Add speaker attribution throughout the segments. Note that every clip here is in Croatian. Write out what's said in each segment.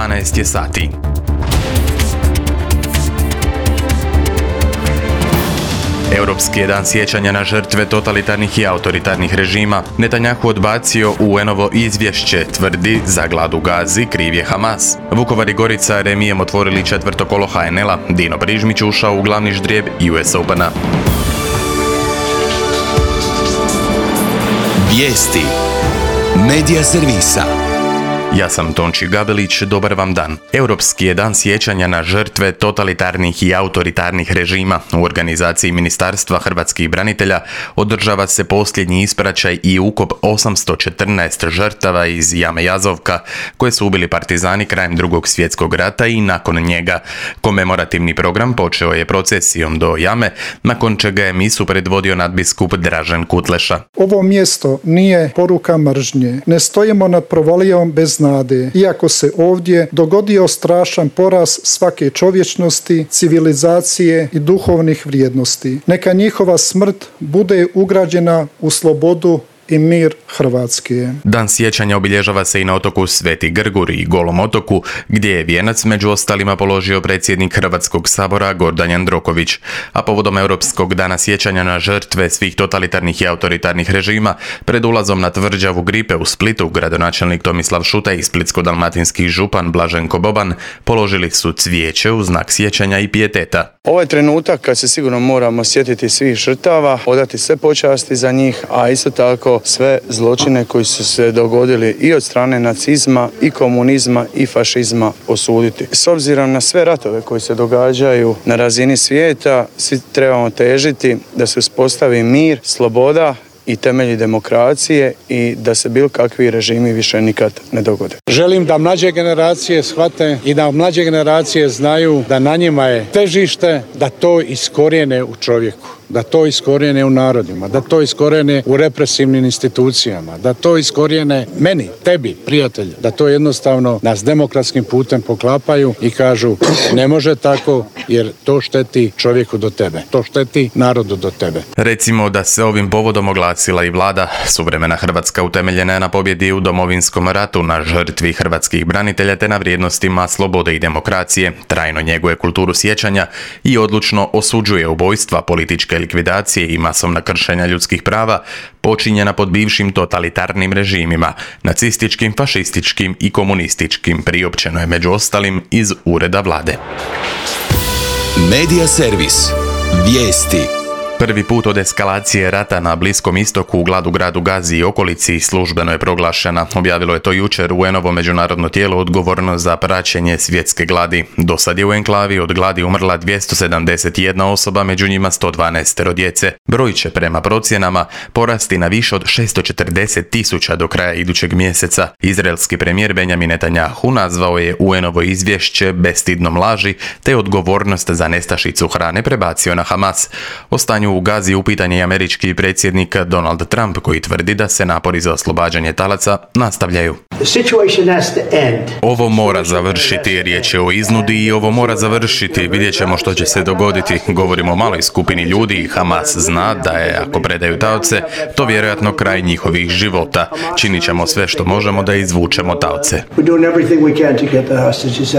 Speaker 1: 12 je sati. Europski je dan sjećanja na žrtve totalitarnih i autoritarnih režima. Netanjahu odbacio UN-ovo izvješće, tvrdi za glad u Gazi kriv je Hamas. Vukovar i Gorica remijem otvorili četvrto kolo HNL-a. Dino Brižmić ušao u glavni ždrijeb US Opena.
Speaker 2: Vijesti Medija servisa.
Speaker 1: Ja sam Tonči Gabelić, dobar vam dan. Europski je dan sjećanja na žrtve totalitarnih i autoritarnih režima. U organizaciji Ministarstva hrvatskih branitelja održava se posljednji ispraćaj i ukop 814 žrtava iz jame Jazovka, koje su ubili partizani krajem Drugog svjetskog rata i nakon njega. Komemorativni program počeo je procesijom do jame, nakon čega je misu predvodio nadbiskup Dražen Kutleša.
Speaker 3: Ovo mjesto nije poruka mržnje. Ne stojimo nad provalijom bez nade, iako se ovdje dogodio strašan poraz svake čovječnosti, civilizacije i duhovnih vrijednosti. Neka njihova smrt bude ugrađena u slobodu i mir Hrvatske.
Speaker 1: Dan sjećanja obilježava se i na otoku Sveti Grgur i Golom otoku, gdje je vijenac među ostalima položio predsjednik Hrvatskog sabora Gordan Jandroković. A povodom Europskog dana sjećanja na žrtve svih totalitarnih i autoritarnih režima, pred ulazom na tvrđavu Gripe u Splitu, gradonačelnik Tomislav Šuta i splitsko-dalmatinski župan Blaženko Boban položili su cvijeće u znak sjećanja i pijeteta.
Speaker 4: Ovo je trenutak kad se sigurno moramo sjetiti svih žrtava, odati sve počasti za njih, a isto tako sve zločine koji su se dogodili i od strane nacizma i komunizma i fašizma osuditi. S obzirom na sve ratove koji se događaju na razini svijeta, svi trebamo težiti da se uspostavi mir, sloboda i temelji demokracije i da se bilo kakvi režimi više nikad ne dogode.
Speaker 5: Želim da mlađe generacije shvate i da mlađe generacije znaju da na njima je težište da to iskorijene u čovjeku, da to iskorijene u narodima, da to iskorijene u represivnim institucijama, da to iskorijene meni, tebi, prijatelju, da to jednostavno nas demokratskim putem poklapaju i kažu ne može tako jer to šteti čovjeku do tebe, to šteti narodu do tebe.
Speaker 1: Recimo da se ovim povodom oglasila i vlada. Suvremena Hrvatska utemeljena je na pobjedi u Domovinskom ratu, na žrtvi hrvatskih branitelja te na vrijednostima slobode i demokracije, trajno njeguje kulturu sjećanja i odlučno osuđuje ubojstva, političke likvidacije i masovna kršenja ljudskih prava počinjena pod bivšim totalitarnim režimima, nacističkim, fašističkim i komunističkim, priopćeno je među ostalim iz ureda vlade.
Speaker 2: Medija servis. Vijesti.
Speaker 1: Prvi put od eskalacije rata na Bliskom istoku u gladu gradu Gazi i okolici službeno je proglašena. Objavilo je to jučer UN-ovo međunarodno tijelo odgovorno za praćenje svjetske gladi. Do sad je u enklavi od gladi umrla 271 osoba, među njima 112 djece. Broj će prema procjenama porasti na više od 640.000 do kraja idućeg mjeseca. Izraelski premijer Benjamin Netanjahu nazvao je UN-ovo izvješće bestidnom laži te odgovornost za nestašicu hrane prebacio na Hamas. O stanju u Gazi upitan je i američki predsjednik Donald Trump, koji tvrdi da se napori za oslobađanje talaca nastavljaju. Ovo mora završiti, riječ je o iznudi i ovo mora završiti, vidjet ćemo što će se dogoditi. Govorimo o maloj skupini ljudi i Hamas zna da je, ako predaju taoce, to vjerojatno kraj njihovih života. Činit ćemo sve što možemo da izvučemo taoce.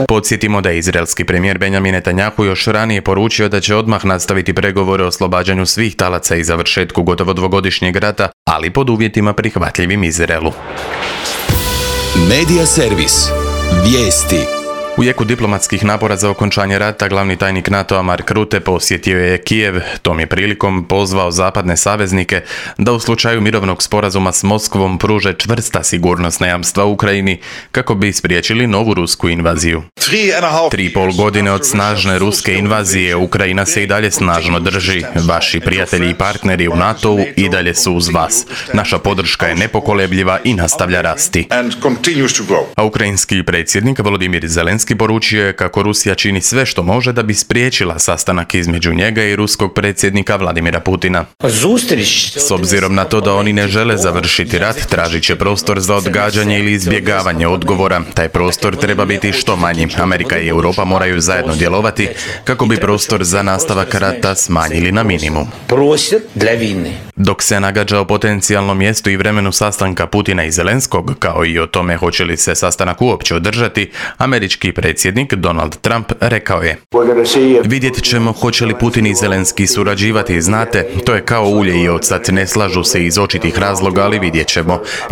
Speaker 1: Podsjetimo da je izraelski premijer Benjamin Netanjahu još ranije poručio da će odmah nastaviti pregovore o oslobađanju svih talaca i završetku gotovo dvogodišnjeg rata, ali pod uvjetima prihvatljivim Izraelu.
Speaker 2: Medija servis. Vijesti.
Speaker 1: U jeku diplomatskih napora za okončanje rata, glavni tajnik NATO-a Mark Rutte posjetio je Kijev. Tom je prilikom pozvao zapadne saveznike da u slučaju mirovnog sporazuma s Moskvom pruže čvrsta sigurnosna jamstva Ukrajini kako bi spriječili novu rusku invaziju. 3,5 godine od snažne ruske invazije Ukrajina se i dalje snažno drži. Vaši prijatelji i partneri u NATO-u i dalje su uz vas. Naša podrška je nepokolebljiva i nastavlja rasti. A ukrajinski predsjednik Volodymyr Zelenski Zelenski poručio je kako Rusija čini sve što može da bi spriječila sastanak između njega i ruskog predsjednika Vladimira Putina. S obzirom na to da oni ne žele završiti rat, tražit će prostor za odgađanje ili izbjegavanje odgovora. Taj prostor treba biti što manji. Amerika i Europa moraju zajedno djelovati kako bi prostor za nastavak rata smanjili na minimum. Dok se nagađa o potencijalnom mjestu i vremenu sastanka Putina i Zelenskog, kao i o tome hoće li se sastanak uopće održati, američki predsjednik Donald Trump rekao je: vidjet ćemo hoće li Putin i Zelenski surađivati, znate, to je kao ulje i ocet, ne slažu se iz očitih razloga, ali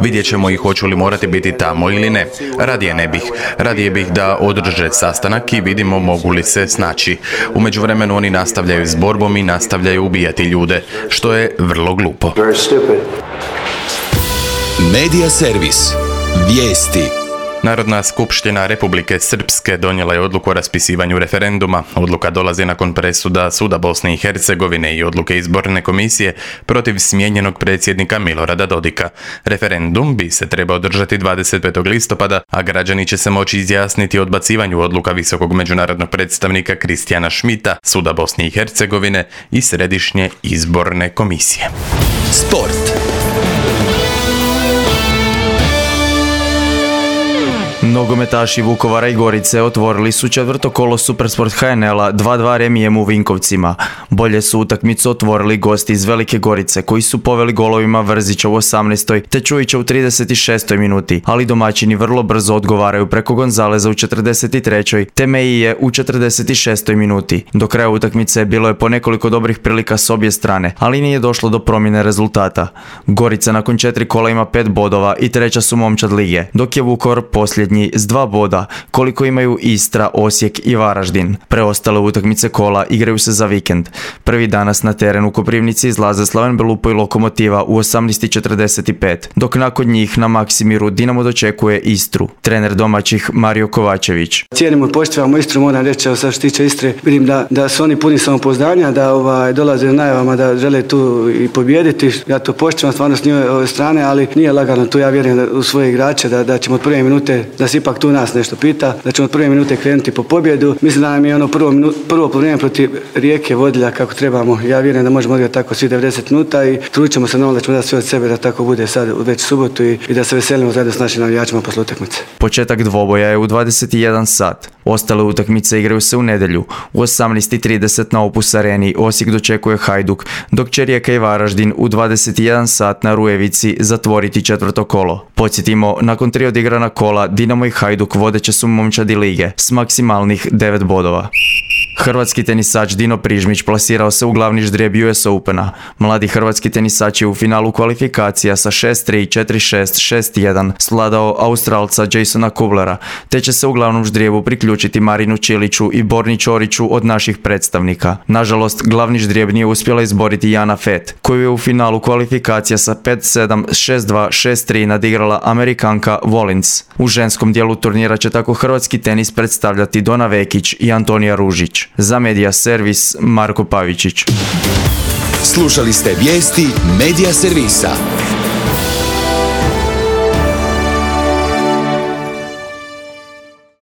Speaker 1: vidjet ćemo i hoću li morati biti tamo ili ne. Radije bih da održe sastanak i vidimo mogu li se snaći. U međuvremenu oni nastavljaju s borbom i nastavljaju ubijati ljude, što je vrlo glupo.
Speaker 2: Medija servis. Vijesti.
Speaker 1: Narodna skupština Republike Srpske donijela je odluku o raspisivanju referenduma. Odluka dolazi nakon presuda Suda Bosne i Hercegovine i odluke izborne komisije protiv smijenjenog predsjednika Milorada Dodika. Referendum bi se trebao održati 25. listopada, a građani će se moći izjasniti o odbacivanju odluka visokog međunarodnog predstavnika Kristijana Šmita, Suda Bosne i Hercegovine i Središnje izborne komisije.
Speaker 2: Sport.
Speaker 6: Nogometaši Vukovara i Gorice otvorili su četvrto kolo Supersport HNL-a 2-2 remijem u Vinkovcima. Bolje su utakmicu otvorili gosti iz Velike Gorice koji su poveli golovima Vrzića u 18. te Čujića u 36. minuti, ali domaćini vrlo brzo odgovaraju preko Gonzaleza u 43. te Meije u 46. minuti. Do kraja utakmice bilo je po nekoliko dobrih prilika s obje strane, ali nije došlo do promjene rezultata. Gorica nakon 4 kola ima 5 bodova i treća su momčad lige, dok je Vukovar posljednji s 2 boda, koliko imaju Istra, Osijek i Varaždin. Preostale utakmice kola igraju se za vikend. Prvi danas na terenu u Koprivnici izlaze Slaven Belupo i Lokomotiva u 18:45, dok nakon njih na Maksimiru Dinamo dočekuje Istru. Trener domaćih Mario Kovačević.
Speaker 7: Cijenimo i poštivamo Istru, moram reći, sad što se tiče Istre, vidim da su oni puni samopouzdanja, da dolaze na najavama da žele tu i pobijediti. Ja to poštivam stvarno s njihove strane, ali nije lagano tu, ja vjerujem u svoje igrače da ćemo od prve minute, da se ipak tu nas nešto pita, da ćemo od prve minute krenuti po pobjedu. Mislim da nam je ono prvo vrijeme protiv Rijeke vodilja kako trebamo. Ja vjerujem da možemo odigrati tako svi 90 minuta i trudit ćemo se na da ćemo dati sve od sebe da tako bude sad već subotu i da se veselimo zajedno s našim navijačima posle utakmice.
Speaker 6: Početak dvoboja je u 21 sat. Ostale utakmice igraju se u nedjelju. U 18:30 na Opus Areni Osijek dočekuje Hajduk, dok će Rijeka i Varaždin u 21 sat na Rujevici zatvoriti četvrto kolo. Podsjetimo, nakon 3 odigrana kola Dinamo i Hajduk vodeće su momčadi lige s maksimalnih 9 bodova. Hrvatski tenisač Dino Prižmić plasirao se u glavni ždrijeb US Opena. Mladi hrvatski tenisač je u finalu kvalifikacija sa 6-3, 4-6, 6-1 svladao Australca Jasona Kublera, te će se u glavnom ždrijebu priključiti Marinu Čiliću i Borni Ćoriću od naših predstavnika. Nažalost, glavni ždrijeb nije uspjela izboriti Jana Fett, koju je u finalu kvalifikacija sa 5-7, 6-2, 6-3 nadigrala Amerikanka Volins. U ženskom dijelu turnira će tako hrvatski tenis predstavljati Dona Vekić i Antonija Ružić. Za Medija servis Marko Pavičić.
Speaker 2: Slušali ste vijesti Medija servisa.